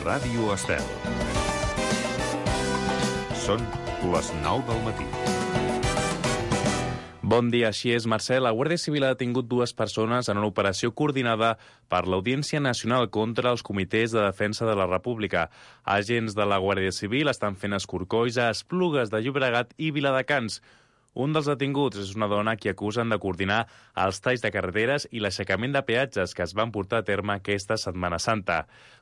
Ràdio Estel. Són les 9 del matí. Bon dia, així és, Mercè. La Guàrdia Civil ha detingut 2 persones en una operació coordinada per l'Audiència Nacional contra els comitès de defensa de la República. Agents de la Guàrdia Civil estan fent escorcolls a Esplugues de Llobregat i Viladecans. Un dels detinguts és una dona que acusen de coordinar els talls de carreteres i l'aixecament de peatges que es van portar a terme aquesta Setmana Santa.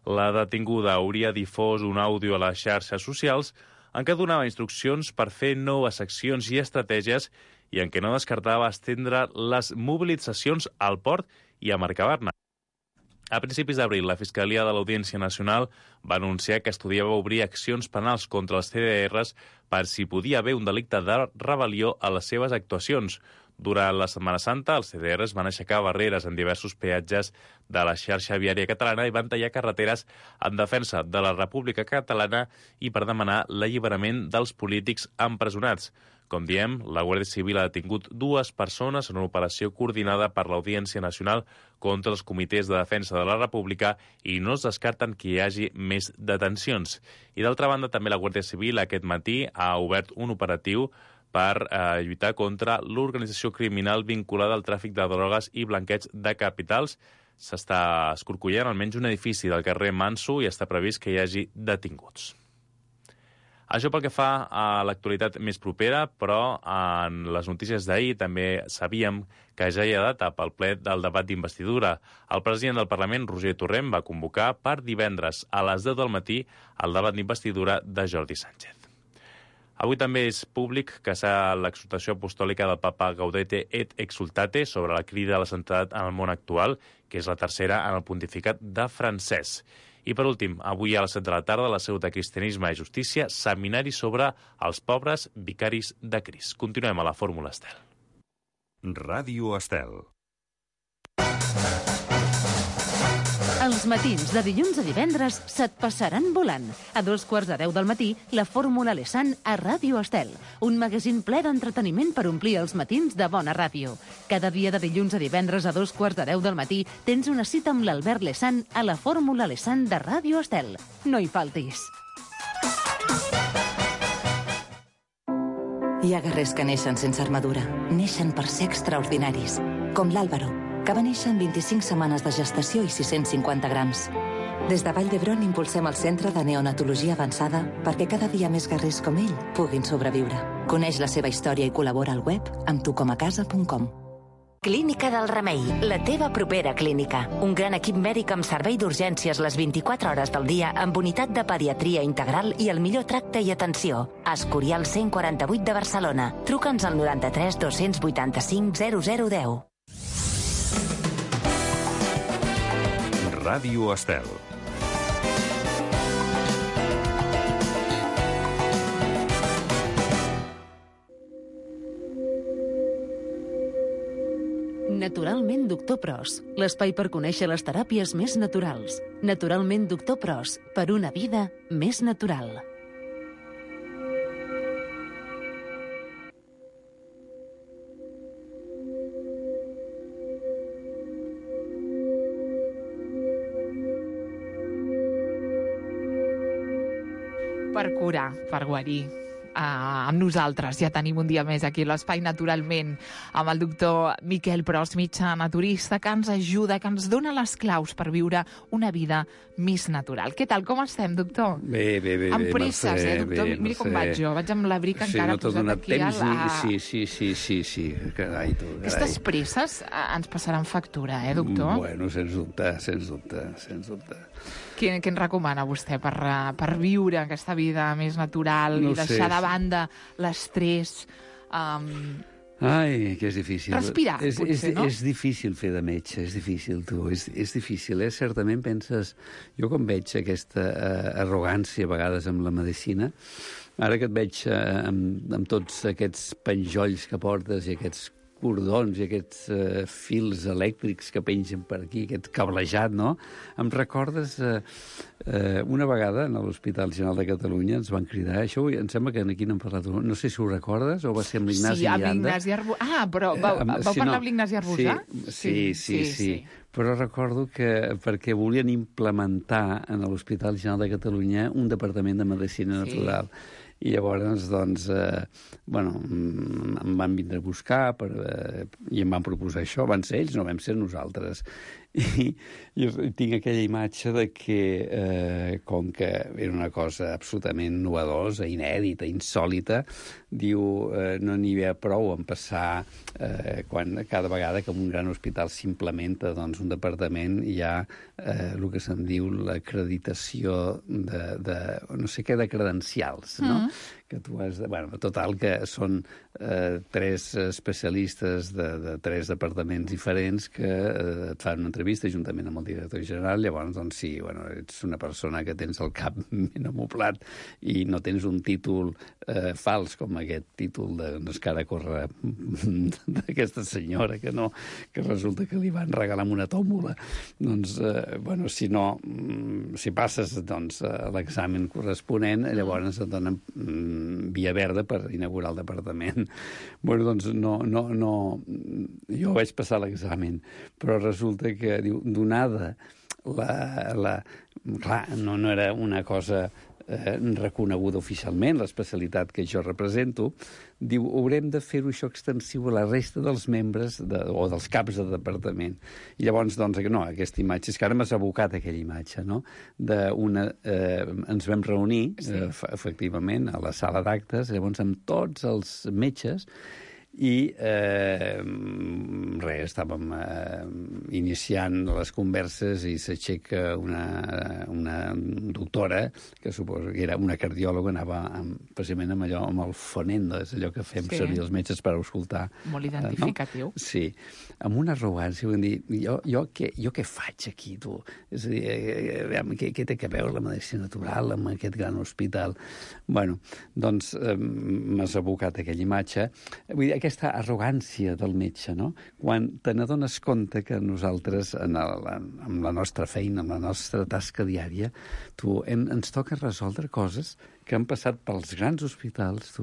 La detinguda hauria difós un àudio a les xarxes socials en què donava instruccions per fer noves accions i estratègies i en què no descartava estendre les mobilitzacions al port i a Mercabarna. A principis d'abril, la Fiscalia de l'Audiència Nacional va anunciar que estudiava obrir accions penals contra els CDRs per si podia haver un delicte de rebel·lió a les seves actuacions. Durant la Setmana Santa, els CDRs van aixecar barreres en diversos peatges de la xarxa viària catalana i van tallar carreteres en defensa de la República Catalana i per demanar l'alliberament dels polítics empresonats. Com diem, la Guàrdia Civil ha detingut 2 persones en una operació coordinada per l'Audiència Nacional contra els comitès de defensa de la República i no es descarten que hi hagi més detencions. I d'altra banda, també la Guàrdia Civil aquest matí ha obert un operatiu per lluitar contra l'organització criminal vinculada al tràfic de drogues i blanqueig de capitals. S'està escorcollant almenys un edifici del carrer Manso i està previst que hi hagi detinguts. Això pel que fa a l'actualitat més propera, però en les notícies d'ahir també sabíem que ja hi ha data pel ple del debat d'investidura. El president del Parlament, Roger Torrent, va convocar per divendres a les 10 del matí el debat d'investidura de Jordi Sánchez. Avui també és públic que s'ha l'exhortació apostòlica del papa Gaudete et Exultate sobre la crida a la santietat en el món actual, que és la tercera en el pontificat de Francesc. I per últim, avui a les 7 de la tarda, la Seu de Cristianisme i Justícia, seminari sobre els pobres vicaris de Crist. Continuem a la Fórmula Estel. Ràdio Estel. Els matins de dilluns a divendres se't passaran volant. A 9:45 del matí, la Fórmula Lesan a Ràdio Estel, un magazín ple d'entreteniment per omplir els matins de bona ràdio. Cada dia de dilluns a divendres a 9:45 del matí tens una cita amb l'Albert Lesan a la Fórmula Lesan de Ràdio Estel. No hi faltis. Hi ha guerrers que neixen sense armadura. Neixen per ser extraordinaris. Com l'Àlvaro, que va néixer en 25 setmanes de gestació i 650 grams. Des de Vall d'Hebron impulsem el Centre de Neonatologia Avançada perquè cada dia més guerrers com ell puguin sobreviure. Coneix la seva història i col·labora al web amb tucomacasa.com. Clínica del Remei, la teva propera clínica. Un gran equip mèdic amb servei d'urgències les 24 hores del dia amb unitat de pediatria integral i el millor tracte i atenció. Escorial 148 de Barcelona. Truca'ns al 93 285 0010. Ràdio Estel. Naturalment Doctor Pros, l'espai per conèixer les teràpies més naturals. Naturalment Doctor Pros, per una vida més natural. Per curar, per guarir. Amb nosaltres ja tenim un dia més aquí a l'Espai Naturalment amb el doctor Miquel Pros, metge naturista, que ens ajuda, que ens dona les claus per viure una vida més natural. Què tal, com estem, doctor? Bé. Amb presses, doctor? Miri com vaig jo. Vaig amb l'abric encara posat aquí a la... Sí. Carai, tu. Aquestes presses ens passaran factura, doctor? Bueno, sens dubte. Què ens recomana vostè per viure aquesta vida més natural i deixar de banda l'estrès? Ai, que és difícil. Respirar, potser, no? És difícil fer de metge, és difícil, tu. És difícil, Certament penses... Jo quan veig aquesta arrogància a vegades amb la medicina, ara que et veig amb tots aquests penjolls que portes i aquests cordons i aquests fils elèctrics que pengen per aquí, aquest cablejat, no? Em recordes una vegada a l'Hospital General de Catalunya ens van cridar, això em sembla que aquí n'hem parlat, no sé si ho recordes o va ser amb l'Ignasi Llanda. Sí, amb l'Ignasi Arbusà. Ah, però vau parlar amb l'Ignasi Arbusà? Sí. Però recordo que perquè volien implementar en l'Hospital General de Catalunya un departament de Medicina Natural. I llavors, doncs, em van vindre a buscar i em van proposar això. Van ser ells, no vam ser nosaltres. I tinc aquella imatge de que, com que era una cosa absolutament novedosa, inèdita, insòlita, diu, no n'hi havia prou en passar quan cada vegada que en un gran hospital s'implementa doncs, un departament hi ha el que se'n diu l'acreditació de no sé què, de credencials, no? Que tu has de... Bueno, total, que són 3 especialistes de 3 departaments diferents que et fan una entrevista juntament amb el director general. Llavors, doncs sí, ets una persona que tens el cap ben amoblat i no tens un títol fals com aquest títol que ara corre d'aquesta senyora que resulta que li van regalar amb una tòmbola. Doncs, si passes l'examen corresponent, llavors et donen via verda per inaugurar el departament. Jo vaig passar l'examen, però resulta que, diu, donada clar, no era una cosa reconeguda oficialment, l'especialitat que jo represento, diu, haurem de fer-ho això extensiu a la resta dels membres o dels caps de departament. I llavors, aquesta imatge, és que ara m'has abocat aquella imatge, no? Ens vam reunir, efectivament, a la sala d'actes, llavors amb tots els metges, i estàvem iniciant les converses i s'aixeca una doctora, que suposo que era una cardiòloga, anava precisament amb allò, amb el fonendo, és allò que fem servir els metges per escoltar. Molt identificatiu. No? Sí, amb una arrogància, vull dir, jo què faig aquí, tu? És a dir, què té a veure la medicina natural amb aquest gran hospital? Bueno, doncs m'has abocat aquella imatge. Vull dir, aquesta arrogància del metge, no? Quan te n'adones compte que nosaltres, amb la nostra feina, amb la nostra tasca diària, ens toca resoldre coses que han passat pels grans hospitals,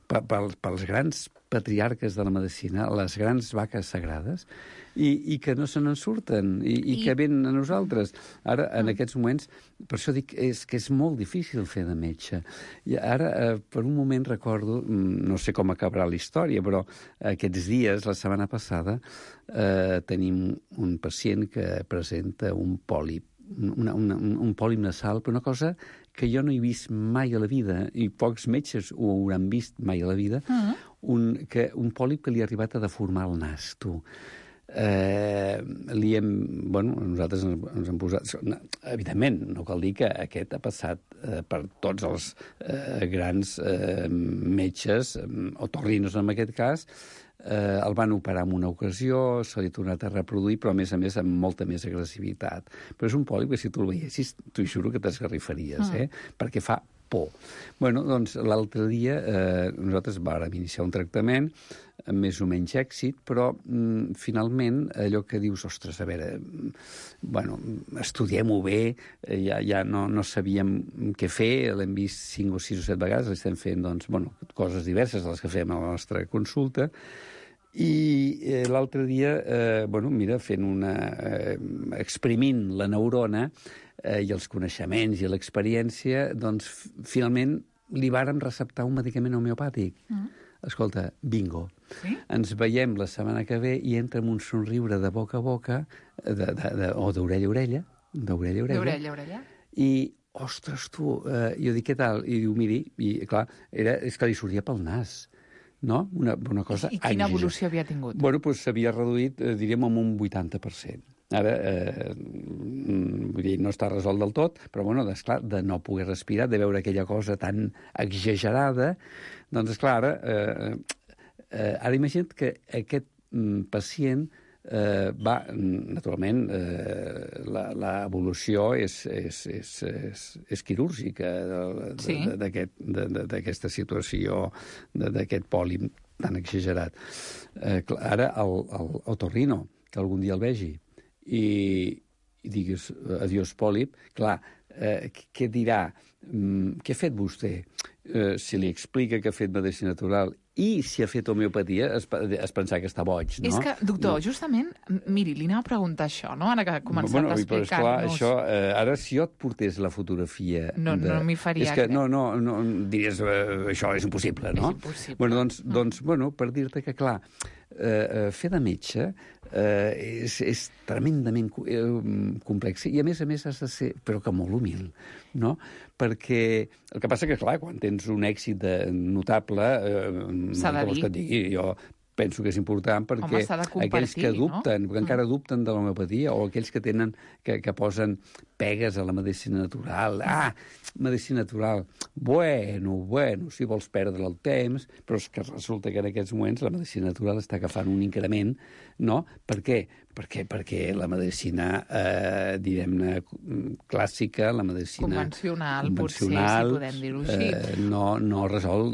pels grans patriarques de la medicina, les grans vaques sagrades, i que no se n'en surten, i que venen a nosaltres. Ara, en aquests moments, per això dic que és molt difícil fer de metge. I ara, per un moment recordo, no sé com acabarà la història, però aquests dies, la setmana passada, tenim un pacient que presenta un pòlip, un pòlip nasal, però una cosa que jo no he vist mai a la vida, i pocs metges ho hauran vist mai a la vida, un pòlip que li ha arribat a deformar el nas, nosaltres ens hem posat... Evidentment, no cal dir que aquest ha passat per tots els grans metges, otorrinos en aquest cas, el van operar en una ocasió, se li ha tornat a reproduir, però a més amb molta més agressivitat. Però és un pòlip que si tu el veiessis, t'ho juro que t'esgarrifaries, perquè fa por. Bueno, doncs l'altre dia nosaltres vàrem iniciar un tractament amb més o menys èxit, però finalment allò que dius, ostres, a veure, estudiem-ho bé, ja no sabíem què fer, l'hem vist 5 o 6 o 7 vegades, l'estem fent, coses diverses de les que fem a la nostra consulta, i l'altre dia, exprimint la neurona i els coneixements i l'experiència, doncs finalment li vàrem receptar un medicament homeopàtic. Escolta, bingo. Sí? Ens veiem la setmana que ve i entra amb un somriure de boca a boca, o d'orella a orella. D'orella a orella. I, ostres, jo dic, què tal? I diu, miri, i clar, és que li sortia pel nas. No? Una cosa... I quina evolució havia tingut? Doncs s'havia reduït, diríem, en un 80%. Ara, vull dir, no està resolt del tot, però, esclar, de no poder respirar, de veure aquella cosa tan exagerada, doncs, esclar, ara imagina't que aquest pacient va, naturalment, l'evolució és quirúrgica d'aquesta situació, d'aquest pòlip tan exagerat. Ara, el otorrino, que algun dia el vegi, i digues adiós pòlip, clar, què dirà? Què ha fet vostè? Si li explica que ha fet medicina natural i si ha fet homeopatia, es pensar que està boig, no? És que, doctor, justament, miri, li anava a preguntar això, no? Ara que ha començat a explicar-nos... Això, ara, si jo et portés la fotografia... No m'hi faria... És que no, diries, això és impossible, no? És impossible. Doncs, per dir-te que, clar, fer de metge és tremendament complex i, a més, has de ser, però que molt humil, no? Perquè el que passa que, clar, quan tens un èxit notable, s'ha de dir. Que et digui, jo penso que és important perquè aquells que dubten, perquè encara dubten de l'homeopatia, o aquells que tenen, que posen pegues a la medicina natural. Medicina natural, bueno, si vols perdre el temps, però és que resulta que en aquests moments la medicina natural està agafant un increment, no? Per què? Perquè la medicina, diguem-ne, clàssica, la medicina convencional, potser, si podem dir-ho així. No resol...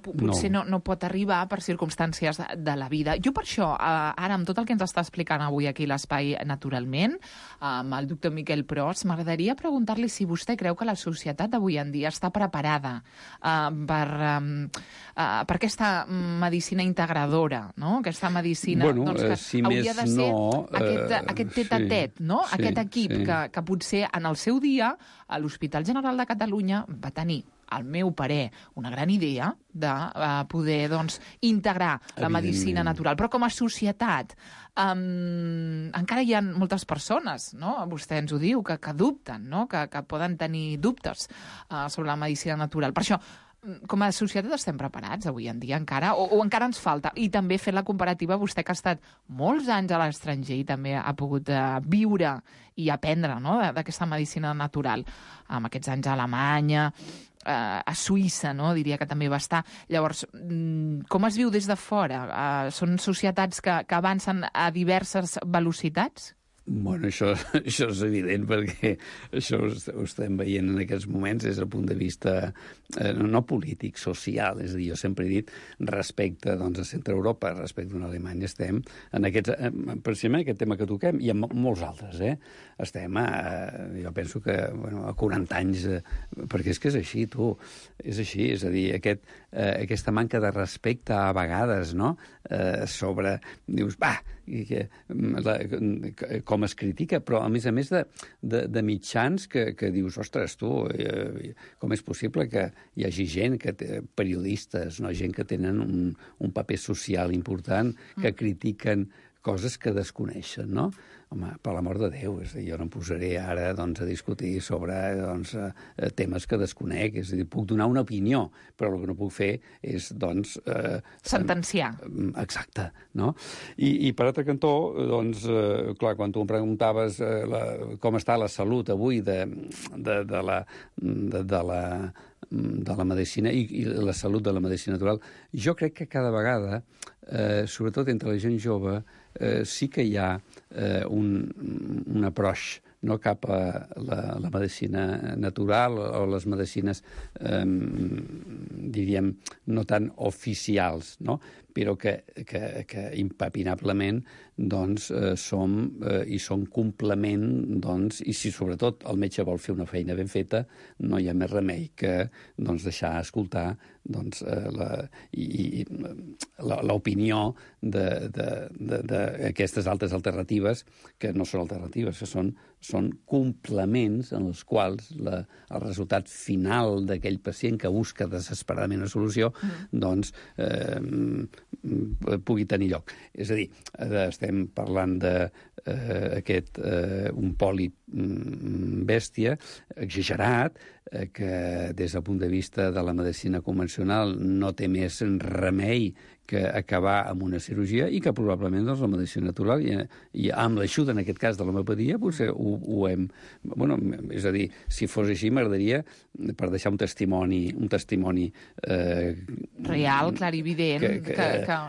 Potser no pot arribar per circumstàncies de la vida. Jo per això, ara, amb tot el que ens està explicant avui aquí l'Espai Naturalment, amb el doctor Miquel Pros, m'agradaria preguntar-li si vostè creu que la societat d'avui en dia està preparada per aquesta medicina integradora, no? Aquesta medicina que si hauria de ser aquest tet-a-tet, no? Sí, aquest equip que potser en el seu dia a l'Hospital General de Catalunya va tenir, al meu parer, una gran idea de poder integrar la medicina natural. Però com a societat encara hi ha moltes persones, no? Vostè ens ho diu, que dubten, no? Que poden tenir dubtes sobre la medicina natural. Per això, com a societat estem preparats avui en dia encara, o encara ens falta? I també fent la comparativa, vostè que ha estat molts anys a l'estranger i també ha pogut viure i aprendre, no?, d'aquesta medicina natural, amb aquests anys a Alemanya, a Suïssa, no?, diria que també va estar. Llavors, com es viu des de fora? Són societats que avancen a diverses velocitats? Bueno, això és evident, perquè això ho estem veient en aquests moments des del punt de vista no polític, social. És a dir, jo sempre he dit, respecte a Centre Europa, respecte a Alemanya, estem precisament en aquest tema que toquem, i en molts altres, estem jo penso que a 40 anys, perquè és que és així, és així, és a dir, aquesta manca de respecte a vegades, no?, sobre, dius, com es critica, però a més de mitjans que dius, ostres, com és possible que hi hagi gent, periodistes, no? Gent que tenen un paper social important, que critiquen coses que desconeixen, no? Home, per l'amor de Déu, jo no em posaré ara a discutir sobre temes que desconec, és a dir, puc donar una opinió, però el que no puc fer és, sentenciar. Exacte, no? I per altre cantó, clar, quan tu em preguntaves com està la salut avui de la medicina i la salut de la medicina natural, jo crec que cada vegada, sobretot entre la gent jove, sí que hi ha un approach, no, cap a la medicina natural o les medicines, diríem, no tan oficials, no? Però que impepinablement són complement, i si sobretot el metge vol fer una feina ben feta, no hi ha més remei que deixar escoltar l'opinió d'aquestes altres alternatives, que no són alternatives, que són complements en els quals el resultat final d'aquell pacient que busca desesperadament una solució pugui tenir lloc. És a dir, estem parlant d'aquest un pòlip bèstia, exagerat, que des del punt de vista de la medicina convencional no té més remei que acabar amb una cirurgia, i que probablement la medicina natural, i amb l'ajuda, en aquest cas, de l'homeopatia, potser ho hem... Bueno, és a dir, si fos així, m'agradaria, per deixar un testimoni real, clarivident,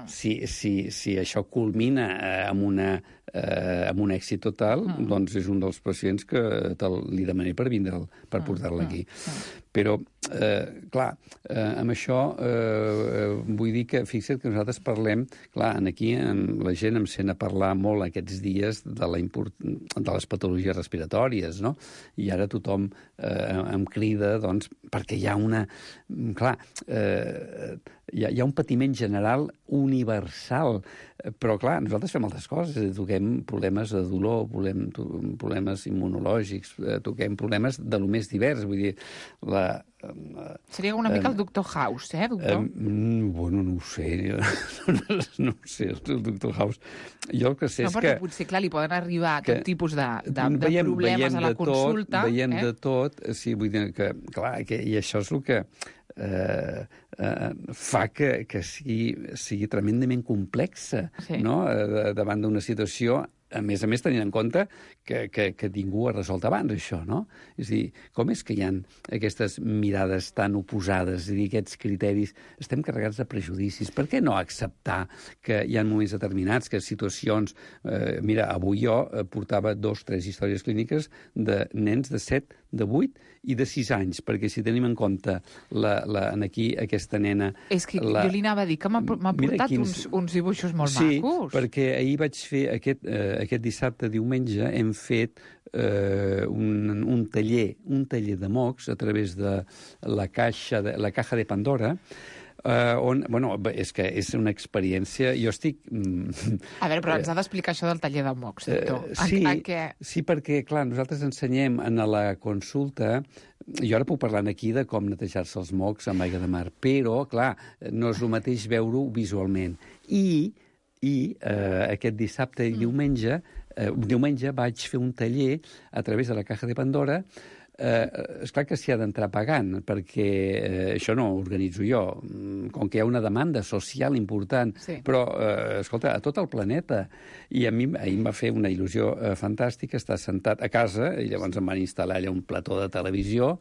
si això culmina amb un èxit total, doncs és un dels pacients que li demanaré per vindre'l, per portar-lo aquí. Però, clar, amb això vull dir que, fixa't que nosaltres parlem, clar, aquí la gent em sent a parlar molt aquests dies de les patologies respiratòries, no? I ara tothom em crida, doncs, perquè hi ha una... Clar, hi ha un patiment general universal, però, clar, nosaltres fem altres coses, toquem problemes de dolor, problemes immunològics, toquem problemes de lo més divers, vull dir, seria una mica el Dr. House, doctor? Bueno, no ho sé, no ho sé, el Dr. House. Jo el que sé és que... No, perquè potser, clar, li poden arribar tot tipus de problemes a la consulta. Veiem de tot, sí, vull dir que, clar, i això és el que fa que sigui tremendament complexa, no?, davant d'una situació, a més tenint en compte que ningú ha resolt abans això, no? És a dir, com és que hi ha aquestes mirades tan oposades, és a dir, aquests criteris, estem carregats de prejudicis. Per què no acceptar que hi ha moments determinats, que situacions... Mira, avui jo portava 2 o 3 històries clíniques de nens de 7, de 8 i de 6 anys, perquè si tenim en compte aquí aquesta nena... És que jo li anava a dir que m'ha portat uns dibuixos molt macos. Sí, perquè ahir vaig fer aquest dissabte, diumenge, hem fet un taller de mocs a través de la caja de Pandora, on, bueno, és que és una experiència... Jo estic... A veure, però ens ha d'explicar això del taller de mocs, doctor. Sí, perquè, clar, nosaltres ensenyem en la consulta... Jo ara puc parlar aquí de com netejar-se els mocs amb aigua de mar, però, clar, no és el mateix veure-ho visualment. I aquest dissabte i diumenge vaig fer un taller a través de la caja de Pandora. Esclar que s'hi ha d'entrar pagant, perquè això no ho organitzo jo, com que hi ha una demanda social important, però, escolta, a tot el planeta. I a mi ahir em va fer una il·lusió fantàstica estar sentat a casa, i llavors em van instal·lar allà un plató de televisió,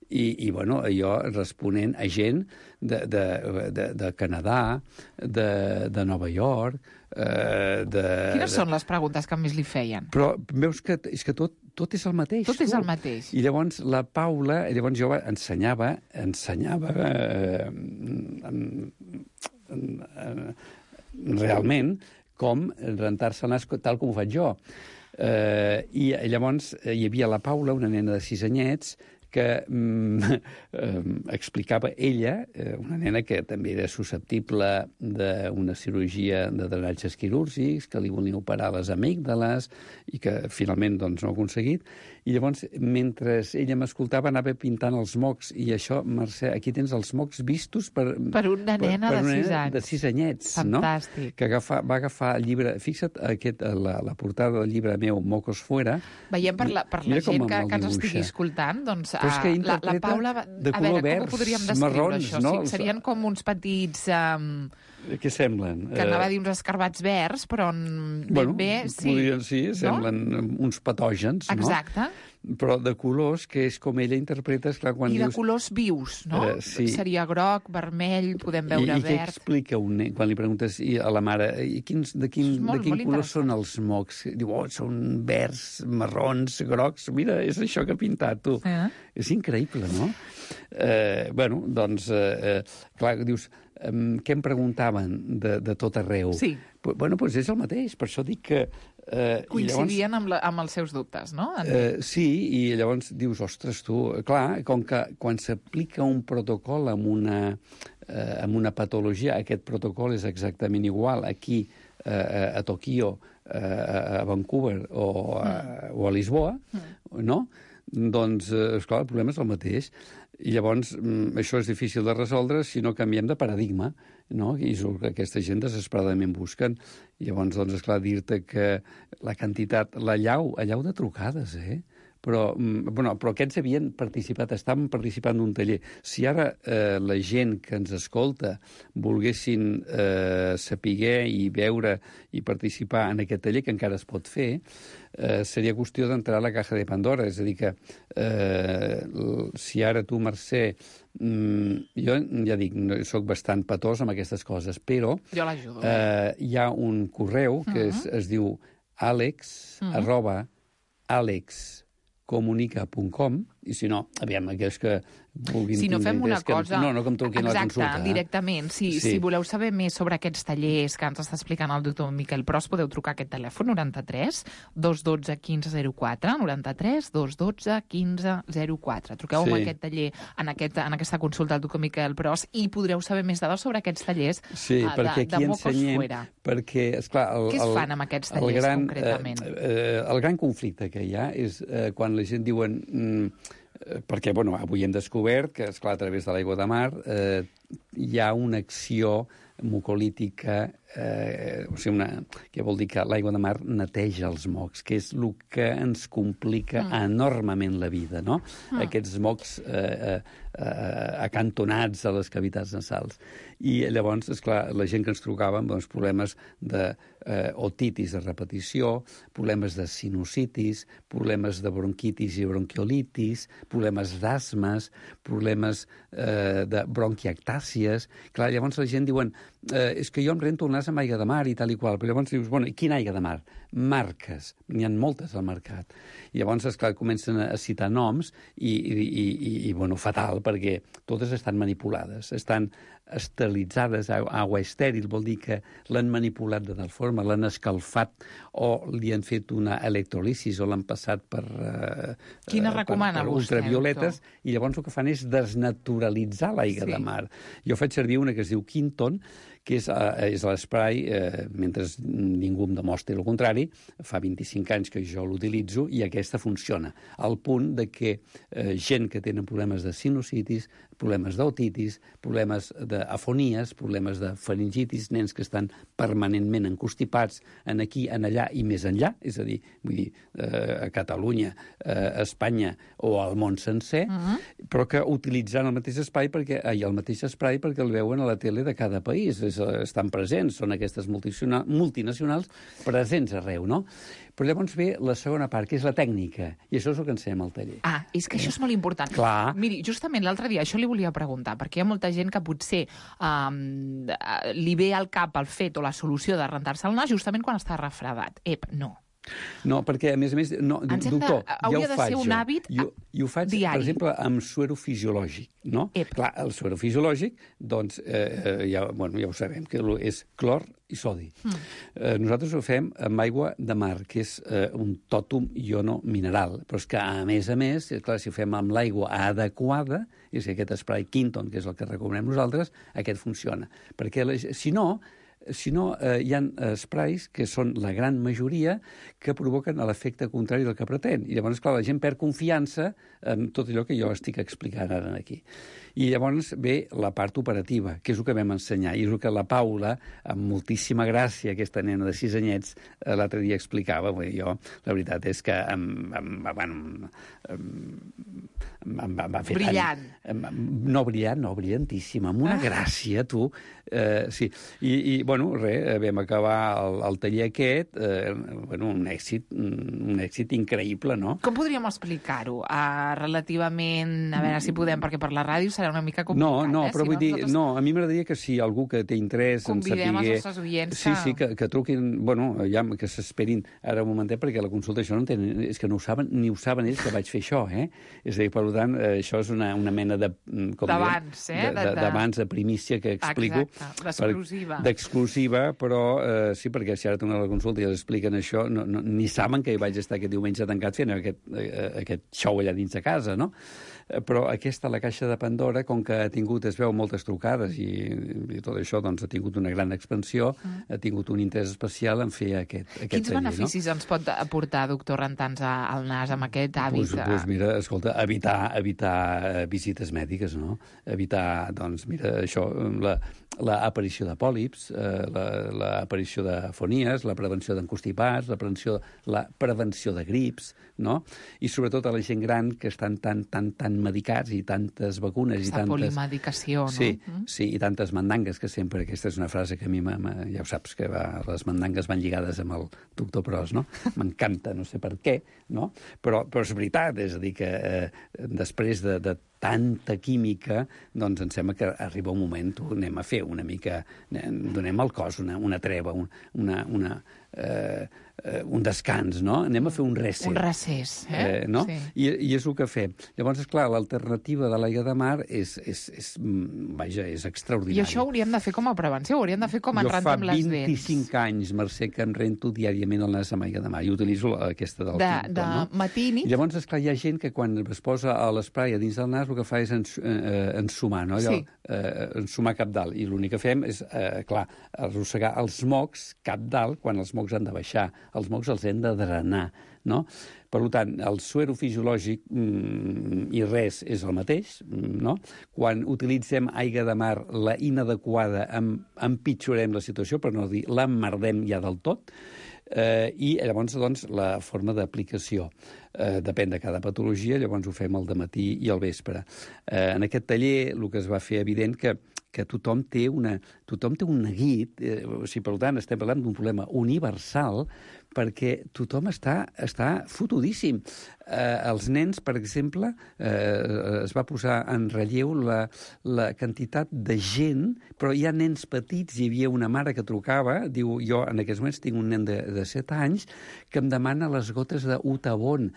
i bueno, jo responent a gent de Canadà, de Nova York, Quines són les preguntes que més li feien? Però veus que és que tot és el mateix. Tot és el mateix. I llavors la Paula, jo ensenyava realment com rentar-se el nas tal com ho faig jo. I llavors hi havia la Paula, una nena de 6 anyets, que explicava ella, una nena que també era susceptible d'una cirurgia de drenatges quirúrgics, que li volien operar les amígdales i que finalment doncs, no ha aconseguit. I llavors, mentre ella m'escoltava, anava pintant els mocs. I això, Mercè, aquí tens els mocs vistos per una nena de 6 anys. De 6 anyets. Fantàstic. No? Que va agafar el llibre... Fixa't, la portada del llibre meu, Mocos Fuera... Veiem per la gent que ens estigui escoltant, doncs la Paula... De color verds, com ho podríem descriure, marrons, això? No? Serien com uns petits... Què semblen? Que anava a dir uns escarbats verds, però bé, sí. Sí, semblen uns patògens, no? Exacte. Però de colors, que és com ella interpreta... Esclar, quan I de colors vius, no? Sí. Seria groc, vermell, podem veure verd... I què explica un nen, quan li preguntes a la mare de quin color són els mocs? Diu, són verds, marrons, grocs... Mira, és això que ha pintat, tu. És increïble, no? Bueno, doncs, clar, dius... Què em preguntaven de tot arreu? Sí. Bueno, doncs és el mateix, per això dic que... Coincidien amb els seus dubtes, no? Sí, i llavors dius, ostres, tu... Clar, com que quan s'aplica un protocol amb una patologia, aquest protocol és exactament igual aquí, a Tòquio, a Vancouver o a Lisboa, no? Doncs, esclar, el problema és el mateix. I llavors això és difícil de resoldre si no canviem de paradigma, no? I és el que aquesta gent desesperadament busquen. I llavors, doncs, esclar, dir-te que la quantitat, l'allau de trucades, però aquests havien participat, estaven participant d'un taller. Si ara la gent que ens escolta volguessin saber i veure i participar en aquest taller, que encara es pot fer, seria qüestió d'entrar a la caja de Pandora. És a dir que si ara tu, Mercè, jo ja dic, soc bastant patós amb aquestes coses, però jo l'ajudo. Hi ha un correu que es diu Alex, @Alex comunica.com, i si no, aviam, aquells que vulguin... Si no fem una cosa... No, que em truquin a la consulta. Exacte, directament. Si voleu saber més sobre aquests tallers que ens està explicant el doctor Miquel Pros, podeu trucar a aquest telèfon, 93 212 1504, 93 212 1504. Truqueu amb aquest taller, en aquesta consulta al doctor Miquel Pros, i podreu saber més dades sobre aquests tallers de Mocos Fuera. Perquè, esclar... Què es fan amb aquests tallers, concretament? El gran conflicte que hi ha és quan la gent diuen... perquè, avui hem descobert que, esclar, a través de l'aigua de mar hi ha una acció mucolítica, que vol dir que l'aigua de mar neteja els mocs, que és el que ens complica enormement la vida, no? Aquests mocs acantonats a les cavitats nasals. I llavors, esclar, la gent que ens trucava amb problemes d'otitis de repetició, problemes de sinusitis, problemes de bronquitis i bronquiolitis, problemes d'asmes, problemes de bronquiectàcies. Clar, llavors la gent diuen és que jo em rento el nas amb aigua de mar i tal i qual. Però llavors dius, i quina aigua de mar? Marques. N'hi ha moltes al mercat. I llavors, esclar, comencen a citar noms i fatal, perquè totes estan manipulades. Estan esterilitzades, aigua estèril, vol dir que l'han manipulat de tal forma, l'han escalfat o li han fet una electrolisis o l'han passat per ultravioletes, i llavors el que fan és desnaturalitzar l'aigua de mar. Jo faig servir una que es diu Quinton, que és l'esprai, mentre ningú em demostri el contrari, fa 25 anys que jo l'utilitzo i aquesta funciona, al punt de que gent que tenen problemes de sinusitis, problemes d'otitis, problemes d'afonies, problemes de faringitis, nens que estan permanentment encostipats en aquí, en allà i més enllà, és a dir, a Catalunya, a Espanya o al món sencer, però que utilitzant el mateix espai perquè el veuen a la tele de cada país, estan presents, són aquestes multinacionals presents arreu, no? Però llavors ve la segona part, que és la tècnica, i això és el que ensenyem al taller. És que això és molt important. Clar. Miri, justament l'altre dia això li volia preguntar, perquè hi ha molta gent que potser li ve al cap el fet o la solució de rentar-se el nas justament quan està refredat. No. No, perquè, a més, doctor, hauria de ser un hàbit diari. Jo ho faig, per exemple, amb suero fisiològic, no? Clar, el suero fisiològic, doncs, ja ho sabem, que és clor i sodi. Nosaltres ho fem amb aigua de mar, que és un tòtum iono-mineral, però és que, a més, clar, si ho fem amb l'aigua adequada, és que aquest spray Quinton, que és el que recomanem nosaltres, aquest funciona. Perquè, si no, hi ha sprays que són la gran majoria que provoquen l'efecte contrari del que pretén. I llavors, clar, la gent perd confiança en tot allò que jo estic explicant ara aquí. I llavors ve la part operativa, que és el que vam ensenyar, i és el que la Paula, amb moltíssima gràcia, aquesta nena de 6 anyets, l'altre dia explicava. Jo, la veritat és que em va fer brillant. No brillant, no, brillantíssima, amb una gràcia, tu. Sí, i vam acabar el taller aquest, un èxit increïble, no? Com podríem explicar-ho? Relativament, a veure si podem, perquè per la ràdio serà una mica complicat. No, però vull dir, a mi m'agradaria que si algú que té interès en saber... Convidem els nostres oients que truquin, ja que s'esperin ara un momentet, perquè la consulta això no entenen, és que no ho saben, ni ho saben ells que vaig fer això, És a dir, per tant, això és una mena de... D'abans, d'abans, de primícia que explico. D'exclusiva. D'exclusiva, però sí, perquè si ara tornen a la consulta i els expliquen això, ni saben que hi vaig estar aquest diumenge tancat fent aquest show allà dins de casa, no? Però aquesta, la caixa de Pandora, com que es veu moltes trucades i tot això, doncs ha tingut una gran expansió, ha tingut un interès especial en fer aquest taller. Quins beneficis ens pot aportar, doctor, rentar-nos el nas amb aquest hàbit? Doncs mira, escolta, evitar visites mèdiques, no? Evitar, doncs, mira, això, l'aparició de pòlips, l'aparició d'afonies, la prevenció d'encostipats, la prevenció de grips, no? I sobretot a la gent gran que estan tan medicats i tantes vacunes i tantes... polimedicació, no? Sí, i tantes mandangues, que sempre, aquesta és una frase que a mi, ja ho saps, que les mandangues van lligades amb el doctor Pros, no? M'encanta, no sé per què, no? Però és veritat, és a dir, que després de tanta química, doncs em sembla que arriba un moment, anem a fer una mica, donem al cos una treva, un descans, no? Anem a fer un recés. Un recés, no? Sí. I és el que fem. Llavors, esclar, l'alternativa de l'aigua de mar és extraordinària. I això ho hauríem de fer com a prevenció, ho hauríem de fer com en rentem les dents. Jo fa 25 anys, Mercè, que em rento diàriament el nas amb aigua de mar i utilitzo aquesta del Quinton, no? Matí i nit? I llavors, esclar, hi ha gent que quan es posa l'esprai a dins del nas el que fa és ensumar, no? Allò, ensumar cap dalt. I l'únic que fem és, clar, arrossegar els mocs cap dalt quan els mocs han de baixar. Els mocs els hem de drenar, no? Per tant, el suero fisiològic i res és el mateix, no? Quan utilitzem aigua de mar, la inadequada, empitjorem la situació, per no dir l'emmerdem ja del tot, i llavors, doncs, la forma d'aplicació depèn de cada patologia, llavors ho fem al dematí i al vespre. En aquest taller el que es va fer evident que tothom té un neguit, o sigui, per tant, estem parlant d'un problema universal, perquè tothom està fotudíssim. Els nens, per exemple, es va posar en relleu la quantitat de gent, però hi ha nens petits, hi havia una mare que trucava, diu, jo en aquests moments tinc un nen de 7 anys que em demana les gotes d'Utabon.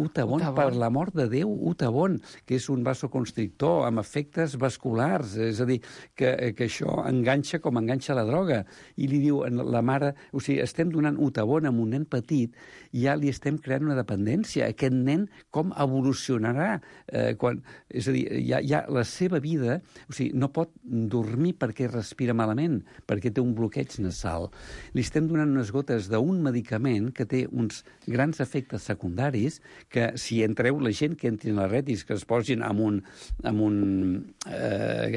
Utabon, per l'amor de Déu, Utabon, que és un vasoconstrictor amb efectes vasculars, és a dir, que això enganxa com enganxa la droga. I li diu la mare, o sigui, estem donant Utabon a un nen petit i ja li estem creant una dependència. Aquest nen com evolucionarà? És a dir, ja la seva vida, o sigui, no pot dormir perquè respira malament, perquè té un bloqueig nasal. Li estem donant unes gotes d'un medicament que té uns grans efectes secundaris que si entreu la gent que entrin a la retis, que es posin amb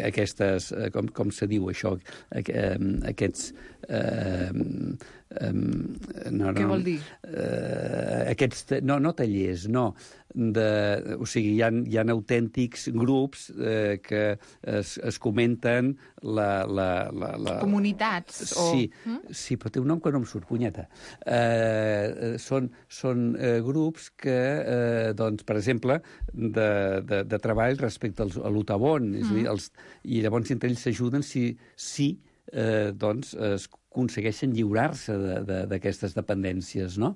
aquestes, com se diu això, aquests... Què vol dir? Aquests, no tallers, no. O sigui, hi ha autèntics grups que es comenten comunitats? Sí, però té un nom que no em surt, punyeta. Són grups que, doncs, per exemple, de treball respecte a l'Utabon, és a dir, i llavors entre ells s'ajuden si doncs es aconsegueixen lliurar-se d'aquestes dependències, no?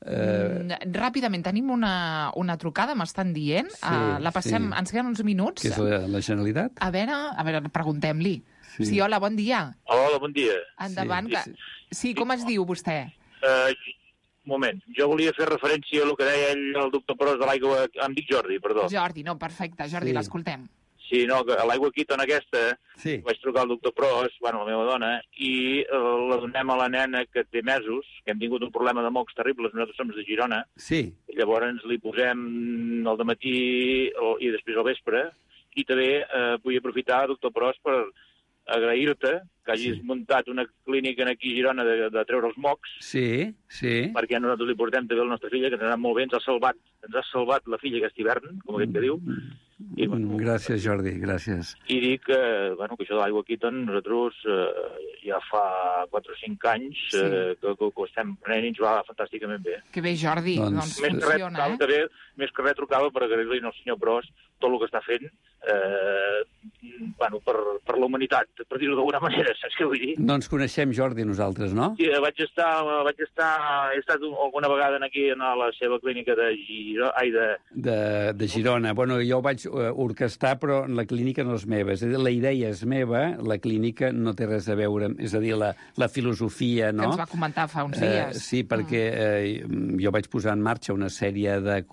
Ràpidament, tenim una trucada, m'estan dient. La passem, ens queden uns minuts. Que és la Generalitat? A veure, preguntem-li. Sí, hola, bon dia. Hola, bon dia. Endavant. Sí, com es diu vostè? Un moment, jo volia fer referència a el que deia el doctor Pros de l'aigua... Em dic Jordi, perdó. Jordi, no, perfecte. Jordi, l'escoltem. Sí, no, a l'aigua Quinton aquesta, vaig trucar al doctor Pros, la meva dona, i la donem a la nena que té mesos, que hem tingut un problema de mocs terribles, nosaltres som de Girona, i llavors li posem al dematí i després al vespre, i també vull aprofitar, doctor Pros, per agrair-te que hagis muntat una clínica aquí a Girona de treure els mocs, perquè nosaltres li portem també a la nostra filla, que ens ha anat molt bé, ens ha salvat la filla aquest hivern, com aquest que diu. Gràcies, Jordi, gràcies. I dic que això de l'aigua Quinton nosaltres ja fa 4 o 5 anys que ho estem prenent i ens va fantàsticament bé. Que bé, Jordi, doncs funciona, Més que res trucava per agrair-li al senyor Pros tot el que està fent per la humanitat, per dir-ho d'alguna manera, saps què vull dir? No ens coneixem, Jordi, nosaltres, no? Sí, he estat alguna vegada aquí a la seva clínica de Girona. Bueno, jo ho vaig orquestar, però la clínica no és meva. És a dir, la idea és meva, la clínica no té res a veure, és a dir, la filosofia, no? Que ens va comentar fa uns dies. Sí, perquè jo vaig posar en marxa una sèrie de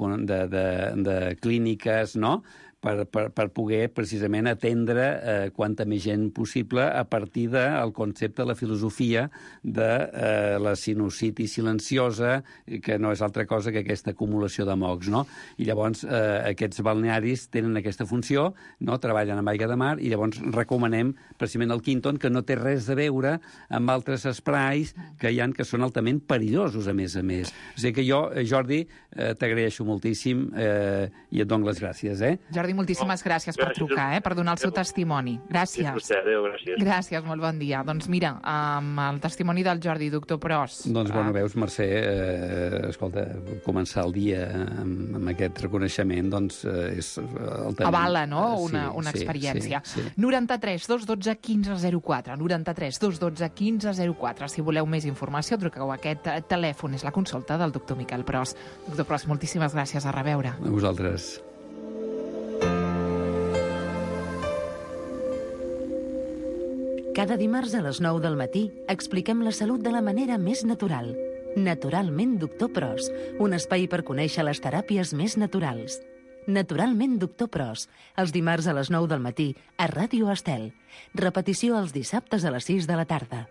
clíniques, no?, per poder precisament atendre quanta més gent possible a partir del concepte, la filosofia de la sinusitis silenciosa, que no és altra cosa que aquesta acumulació de mocs, no? I llavors aquests balnearis tenen aquesta funció, no? Treballen amb aigua de mar, i llavors recomanem precisament el Quinton, que no té res a veure amb altres esprais que hi ha que són altament perillosos, a més a més. O sigui que jo, Jordi, t'agraeixo moltíssim i et dono les gràcies, Jordi, Jordi, moltíssimes gràcies per trucar, per donar el seu testimoni. Gràcies. Adéu, gràcies. Gràcies, molt bon dia. Doncs mira, amb el testimoni del Jordi, doctor Pros. Doncs, bueno, veus, Mercè, escolta, començar el dia amb aquest reconeixement, doncs, és... Avala, no?, una experiència. 93 212 1504, 93 212 1504. Si voleu més informació, truqueu a aquest telèfon. És la consulta del doctor Miquel Pros. Doctor Pros, moltíssimes gràcies. A reveure. A vosaltres. Cada dimarts a les 9 del matí expliquem la salut de la manera més natural. Naturalment, doctor Pros, un espai per conèixer les teràpies més naturals. Naturalment, doctor Pros, els dimarts a les 9 del matí a Ràdio Estel. Repetició els dissabtes a les 6 de la tarda.